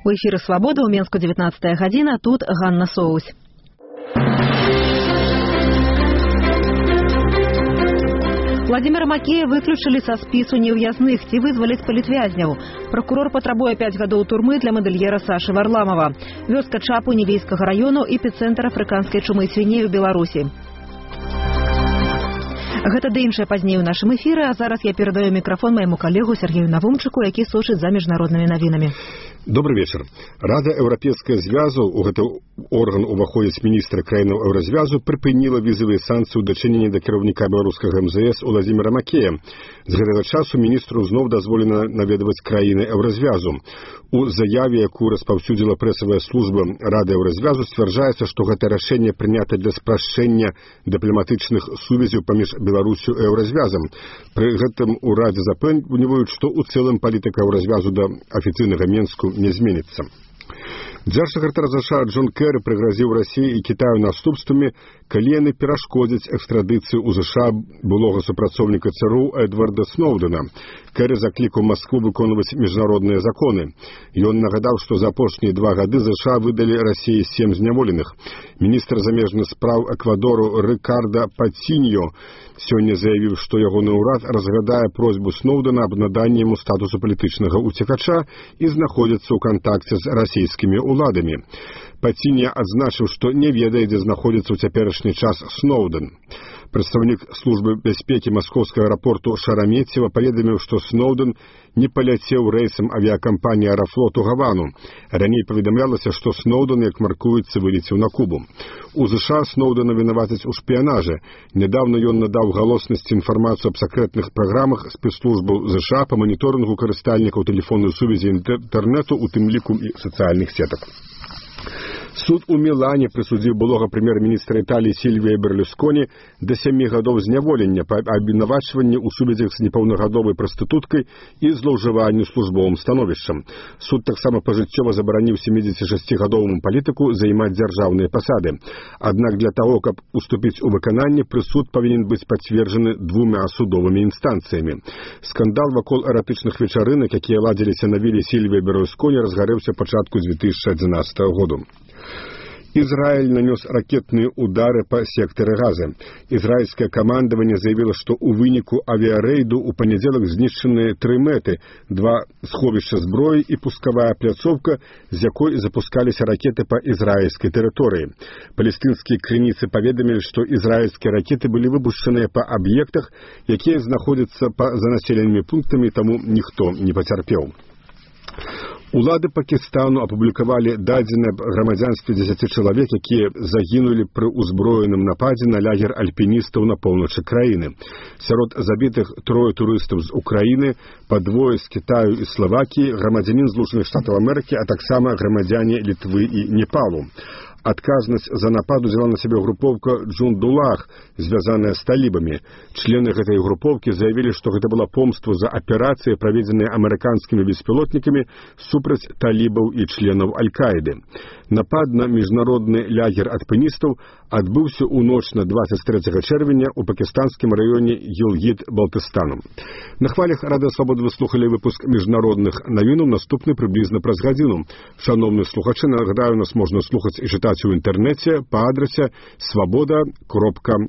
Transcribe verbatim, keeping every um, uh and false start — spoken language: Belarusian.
У эфіры «Свабода» ў Менску дзевятнадцатая гадзіна, тут Ганна Соусь. Владимира Макея выключылі са спісу неўязных, ці вызваліць палітвязняў. Прокурор патрабуе пяць гадоў турмы для мадэльера Сашы Варламова. Вёска Чапу Невейскага раёну, эпіцэнтр афрыканскай чумы свіней у Беларусі. Гэта ды іншае пазней у нашым эфіры, а зараз я перадаю мікрафон майму калегу Сергею Навумчыку, які сочыць за міжнароднымі навінамі. Добрый вечер. Рада Еўрапейскага звязу, у гэты орган уваходзіць міністр краінаў Еўразвязу, прыпыніла візавыя санкцыі ў дачыненні да кіраўніка беларускага эм зэ эс Владимира Макея. З гэтага часу міністру зноў дазволена наведваць краіны Еўразвязу. У заяве, якую распаўсюдзіла прэсавая служба Рады Еўразвязу, сцвярджаецца, што гэта рашэнне прынята для спрашчэння дыпламатычных сувязяў паміж Беларусю і Еўразвязам. Пры гэтым у Радзе запэўніваюць, што ў цэлым палітыка Еўразвязу да афіцыйнага Менску не зменіцца. Дзяржсакратар ЗША Джон Керры прыгразіў Расіі і Кітаю наступствамі, калі яны перашкодзяць экстрадыцыю ў ЗША былога супрацоўніка ЦРУ Эдварда Сноўдэна. Керры заклікаў Маскву выконваць міжнародныя законы. Ён нагадаў, што за апошнія два гады ЗША выдалі Расіі сем зняволеных. Міністр замежных спраў Эквадору Рыкарда Паціньо сёння заявіў, што ягоны ўрад разглядае просьбу Сноўдэна аб наданні яму статусу палітычнага уцекача і знаходзіцца ў кантакце з расійскімі уладамі. Паціньо адзначыў, што не ведае, дзе знаходзіцца ў цяперашні час Сноўдэн. Прадстаўнік службы бяспекі маскоўскага аэрапорту Шарамецева паведаміў, што Сноўдэн не паляцеў рэйсам авіякампаніі «Аэрафлот» у Гавану. Раней паведамлялася, што Сноўдэн, як маркуецца, вылецеў на Кубу. У ЗША Сноўдэна вінавацяць у шпіянажы. Нядаўна ён надаў галоснасці інфармацыю аб сакрэтных праграмах спецслужбаў ЗША па маніторынгу карыстальнікаў тэлефоннай сувязі інтэрнэту, у тым ліку і сацыяльных сетак. Суд у Мілане прысудзіў былога прэм'ер-міністра Італіі Сільвія Берлюсконі да сямі гадоў зняволення па абвінавачванні ў сувязях з непаўнагадовай прастытуткай і злоўжыванню службовым становішчам. Суд таксама пажыццёва забараніў сямідзесяцішасцігадоваму палітыку займаць дзяржаўныя пасады. Аднак для таго, каб уступіць у выкананне, прысуд павінен быць пацверджаны двума судовымі інстанцыямі. Скандал вакол эратычных вечарынак, якія ладзіліся на віле Сільвія Берлюсконі, разгарэўся пачатку дзве тысячы адзінаццатага году. Израиль нанес ракетные удары по сектору Газа. Израильское командование заявило, что у выніку авиарейду у понеделок знищены три мэты, два сховища зброи и пусковая пляцовка, з якой запускались ракеты по израильской территории. Палестинские крыніцы поведомили, что израильские ракеты были выпущены по объектах, якія знаходятся по занаселенными пунктами, тому никто не потерпел. Улады Пакістану апублікавалі дадзеныя аб грамадзянстве дзесяці чалавек, якія загінулі пры ўзброеным нападзе на лагер альпіністаў на поўначы краіны. Сярод забітых трое турыстаў з Украіны, па двое з Кітаю і Славакіі, грамадзянін Злучаных Штатаў Амерыкі, а таксама грамадзяне Літвы і Непалу. Адказнасць за напад узяла на сябе групоўка Джундулах, звязаная з талібамі. Члены гэтай групоўкі заявілі, што гэта была помства за аперацыі, праведзеныя амерыканскімі беспілотнікамі супраць талібаў і членаў Аль-Каіды. Напад на міжнародны лагер альпіністаў адбыўся ў ноч на дваццаць трэцяга чэрвеня ў пакістанскім раёне Гілгіт-Балтыстану. На хвалях Рады Свабоды вы слухалі выпуск міжнародных навінаў, наступны прыблізна праз гадзіну. Шановны слухачы, нагадаю, нас можна слухаць і чытаць у інтэрнэце па адрасе свабода кропка